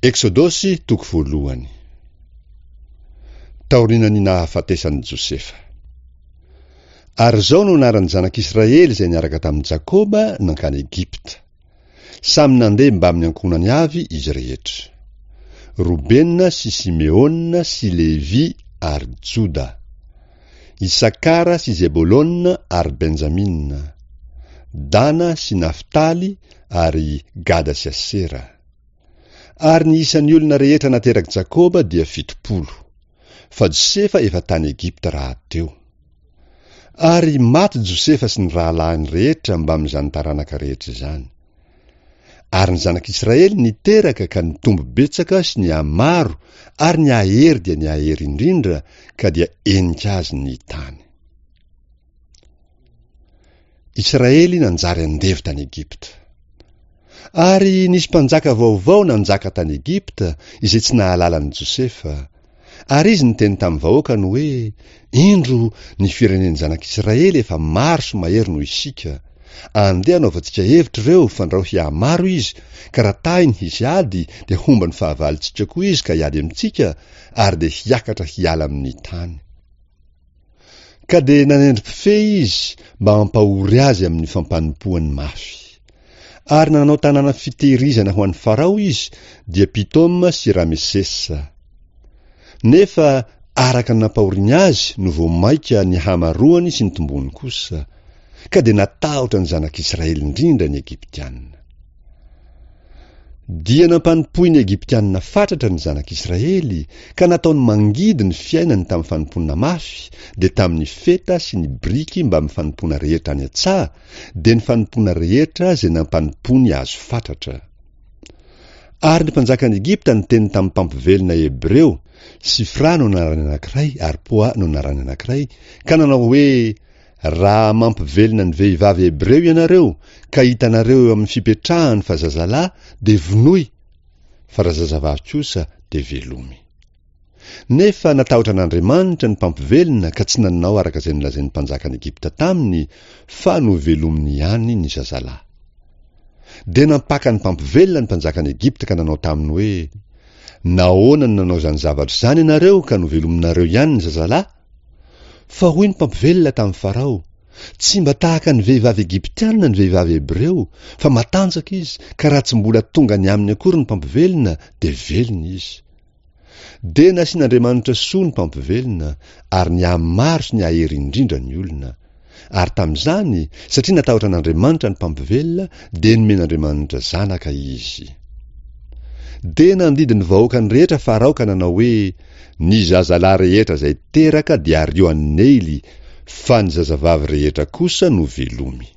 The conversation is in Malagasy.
Eksodosy toko voalohany. Taorian'ny nahafatesan'i Josefa. Ary izao no anaran'ny zanak'Israely izay niaraka tamin'i Jakoba nankany Egypta. Samy nandeha mbamin'ny ankohonany avy izy rehetra. Robena sy Simeona sy Levy ary Joda. Isakara sy Zebolona ary Benjamina. Dana sy Naftaly ary Gada sy Asera. Ary ny isan'ny olona rehetra naterak'i Jakoba dia 70. Fa Josefa efa tany Egypta rahateo. Ary maty Josefa sy ny rahalahiny rehetra mbamin'izany taranaka rehetra izany. Ary ny zanak'Israely niteraka ka nitombo betsaka sy nihamaro ary nihahery dia nihahery indrindra ka dia henika azy ny tany. Israely nanjary andevo tany Egypta. Ary nisy mpanjaka vaovao nanjaka tany Egypta izay tsy nahalala an'i Josefa. Ary izy niteny tamin'ny vahoakany hoe, Indro, ny firenen'ny zanak'Israely efa maro sy mahery noho isika. Andeha hanaovantsika hevitra ireo, fandrao hihamaro izy, ka raha tahiny hisy ady, dia homba ny fahavalontsika koa izy ka hiady amintsika, ary dia hiakatra hiala amin'ny tany. Ka dia nanendry mpifehy izy mba hampahory azy amin'ny fampanompoany mafy. Ary nanao tanàna fitehirizana ho an'i Farao izy, dia Pitoma sy Ramesesa. Nefa araka ny nampahoriany azy no vao mainka nihamaroany sy nitombony kosa, ka dia natahotra ny zanak'Israely indrindra ny Egyptiana. Dia nampanompoin'ny Egyptiana fatratra ny zanak'Israely, ka nataony mangidy ny fiainany tamin'ny fanompoana mafy, dia tamin'ny feta sy ny biriky mbamin'ny fanompoana rehetra any an-tsaha, dia ny fanompoana rehetra izay nampanompoany azy fatratra. Ary ny mpanjakan'i Egypta niteny tamin'ny mpampivelona hebreo, Sifra no anarany anankiray ary Poa no anarany anankiray, ka nanao hoe, Raha mampivelona ny vehivavy hebreo ianareo ka hitanareo eo amin'ny fipetrahany fa zazalahy dia vonoy, fa raha zazavavy kosa dia velomy. Nefa natahotra an'Andriamanitra ny mpampivelona ka tsy nanao araka izay nolazain'ny mpanjakan'i Egypta taminy fa novelominy ihany ny zazalahy. Dia nampaka ny mpampivelona ny mpanjakan'i Egypta ka nanao taminy hoe, Nahoana no nanao izany zavatra izany ianareo ka novelominareo ihany ny zazalahy? Fa hoy ny mpampivelona tamin'i Farao, Tsy mba tahaka ny vehivavy egyptiana ny vehivavy hebreo, fa matanjaka izy, ka raha tsy mbola tonga any aminy akory ny mpampivelona, dia velona izy. Dia nasian'Andriamanitra soa ny mpampivelona, ary nihamaro sy nihahery indrindra ny olona. Ary tamin'izany, satria natahotra an'Andriamanitra ny mpampivelona, dia nomen'Andriamanitra zanaka izy. Dia nandidy ny vahoakany rehetra Farao ka nanao hoe, Ny zazalahy rehetra izay teraka dia ario any Neily, fa ny zazavavy rehetra kosa no velomy.